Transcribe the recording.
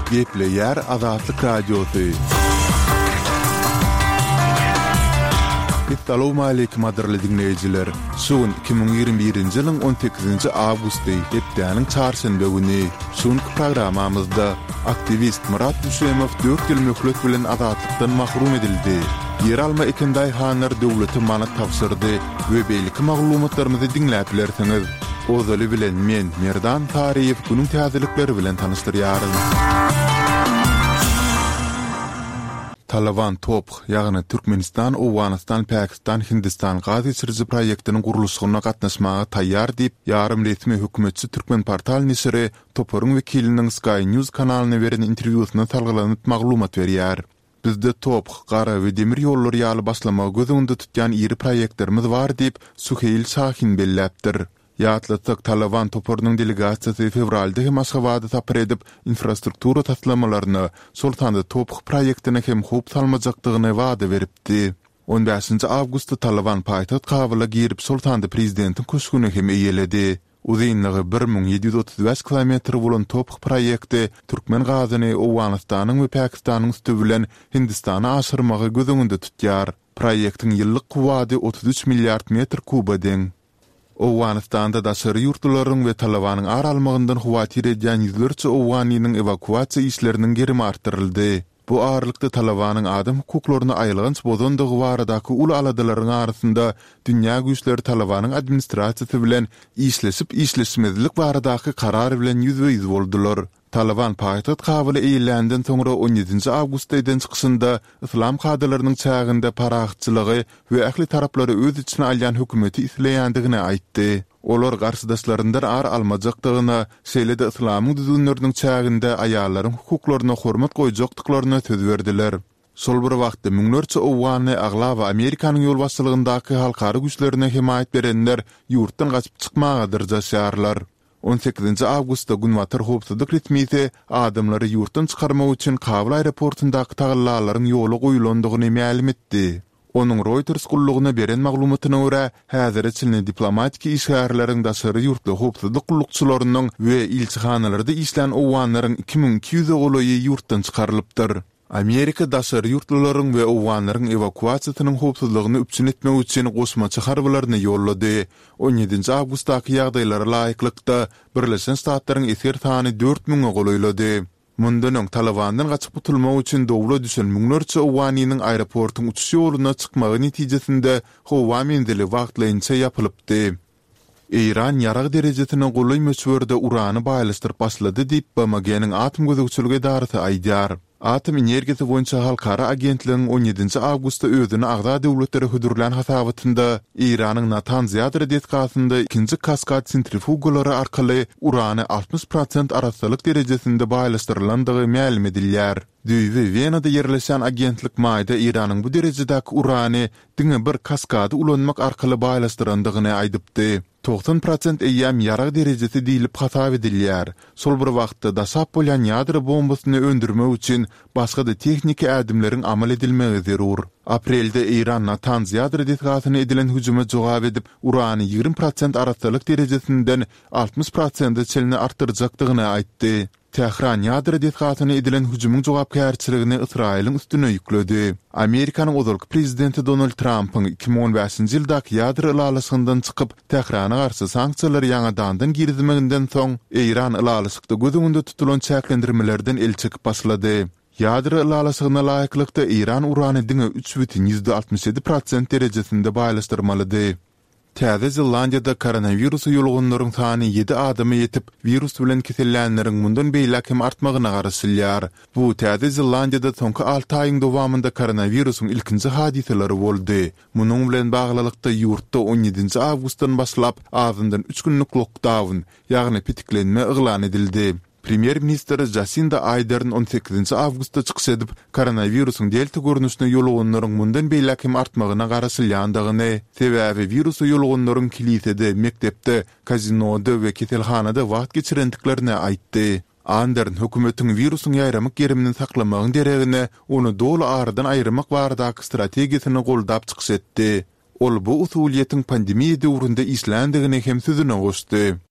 Gepleýär Azatlyk Radiosy. Essalawmaleýkim gadyrly diňleýjiler! Şu gün 2021-nji ýylyň 18-nji awgusty, hepdäniň çarşenbe güni. Şu günki programmamyzda aktiwist Myrat Düşemow dört ýyl möhlet bilen azatlykdan mahrum edildi. Ýeralma eken daýhanlar döwlete manat tabşyrdy we beýleki maglumatlarymyzy diňläp bilersiňiz. Ozaly bilen men, Merdan Saryýew günüň täzelikleri bilen tanyşdyrýaryn. Talaban TOPH, ýagny Türkmenistan, Owganystan, Pakistan, Hindistan gaz geçiriji proýektiniň gurluşygyna gatnaşmaga taýýar diýip, ýarym resmi hökümetçi Türkmenportal neşiri toparyň wekiliniň Sky News kanalyna beren interwýusyna salgylanyp maglumat berýär. Bizde TOPH, gara we demir ýollary ýaly başlamagy göz öňünde tutýan iri proýektlerimiz bar diýip, Suheýl Şahin belläpdir. Ýatlatsak, Talaban toparynyň delegasiýasy fewralda hem Aşgabada sapar edip, infrastruktura taslamalaryna, şol sanda TOPH proýektine hem howp salmajakdygyny wada beripdi. On bäşinji awgustda Talaban paýtagt Kabula girip, şol sanda prezidentiň köşgüni hem eýeledi. Uzynlygy 1735 kilometr bolan TOPH proýekti türkmen gazyny Owganystanyň we Pakistanyň üsti bilen Hindistana aşyrmagy göz öňünde tutýar. Proýektiň ýyllyk kuwwady 33 milliard metr kuba deň. Owganystanda daşary ýurtlularyň we Talabanyň ar almagyndan howatyr edýän ýüzlerçe owganynyň ewakuasiýa işleriniň gerimi artdyryldy. Bu aralykda Talabanyň adam hukuklaryny aýylganç bozandygy baradaky uly aladalaryň arasynda dünýä güýçleri Talabanyň administrasiýasy bilen işleşip-işleşmezlik baradaky karar bilen ýüzbe-ýüz boldular. Talaban paýtagt Kabuly eýeländen soňra on ýedinji awgustda eden çykyşynda yslam kadalarynyň çäginde parahatçylygy we ähli taraplary öz içine alýan hökümeti isleýändigini aýtdy. Olar garşydaşlaryndan ar almajakdygyna, şeýle-de yslamyň düzgünleriniň çäginde aýallaryň hukuklaryna hormat goýjakdyklaryna söz berdiler. Şol bir wagtda, müňlerçe owganly, aglaba Amerikanyň ýolbaşçylygyndaky halkara güýçlerine hemaýat berenler ýurtdan gaçyp çykmaga dyrjaşýarlar. On sekizinji awgustda günbatar howpsuzlyk resmisi adamlary ýurtdan çykarmak üçin Kabul aeroportundaky tagallalaryň ýola goýulandygyny mälim etdi. Onuň Reuters gullugyna beren maglumatyna görä, häzire çenli diplomatik işgärleriň, daşary ýurtly howpsuzlyk gullukçylarynyň we ilçihanalarda işlän owganlaryň 2200-e golaýy ýurtdan çykarylypdyr. Amerika daşary ýurtlularyň we owganlaryň ewakuasiýasynyň howpsuzlygyny üpjün etmek üçin goşmaça harbylaryny ýollady. On ýedinji awgustdaky ýagdaýlara laýyklykda, Birleşen Ştatlaryň esger sany dört müňe golaýlady. Mundan öň Talabandan gaçyp gutulmak üçin dowla düşen müňlerçe owganynyň aeroportuň uçuş ýoluna çykmagy netijesinde howa menzili wagtlaýynça ýapylypdy. Eýran ýarag derejesine golaý möçberde urany baýlaşdyryp başlady diýip, BMG-niň Atom gözegçilik edarasy aýdýar. Atom energiýasy boýunça halkara agentligiň on ýedinji awgustda özüne agza döwletlere hödürlän hasabatynda Eýranyň Natanz ýadro desgasynda ikinji kaskad sentrifugalary arkaly urany 60 prosent arassalyk derejesinde baýlaşdyrylandygy mälim edilýär. Düýbi Wenada ýerleşýän agentlik maýda Eýranyň bu derejedäki urany diňe bir kaskady ulanmak arkaly baýlaşdyrandygyny aýdypdy. 90 prosent eýýäm ýarag derejesi diýlip hasap edilýär. Şol bir wagtda daşap bolýan ýadro bombasyny öndürmek üçin başga-da tehniki ädimleriň amal edilmegi zerur. Aprelde Eýran Natanz ýadro desgasyna edilen hüjüme jogap edip, urany 20 prosent arassalyk derejesinden 60 prosente çenli artdyrjakdygyny aýtdy. Tähran ýadro desgasyna edilen hüjümiň jogapkärçiligini Ysraýylyň üstüne ýükledi. Amerikanyň ozalky prezidenti Donald Trampyň 2015-nji ýyldaky ýadro ylalaşygyndan çykyp, Tährana garşy sanksiýalary ýaňadandan girizmeginden soň, Eýran ylalaşykda göz öňünde tutulan çäklendirmelerden el çekip başlady. Ýadro ylalaşygyna laýyklykda, Eýran urany diňe 3,67 prosent derejesinde baýlaşdyrmalydy. Täze Zelandiýada koronawirusa ýoluganlaryň sany ýedi adama ýetip, wirus bilen kesellänleriň mundan beýläk hem artmagyna garaşylýar. Bu Täze Zelandiýada soňky alty aýyň dowamynda koronawirusyň ilkinji hadysalary boldy. Munuň bilen baglylykda, ýurtda on ýedinji awgustdan başlap azyndan üç günlük lokdaun, ýagny petiklenme yglan edildi. Premýer-ministr Jasinda Aýdern on sekizinji awgustda çykyş edip, koronawirusyň delta görnüşine ýoluganlaryň mundan beýläk hem artmagyna garaşylýandygyny, sebäbi wirusa ýoluganlaryň kilisede, mekdepde, kazinoda we keselhanada wagt geçirendiklerini aýtdy. Andern hökümetiň wirusyň ýaýramak gerimini saklamagyň deregine, ony doly aradan aýyrmak baradaky strategiýasyny goldap çykyş etdi. Ol bu usulyýetiň pandemiýa döwründe işländigini hem sözüne goşdy.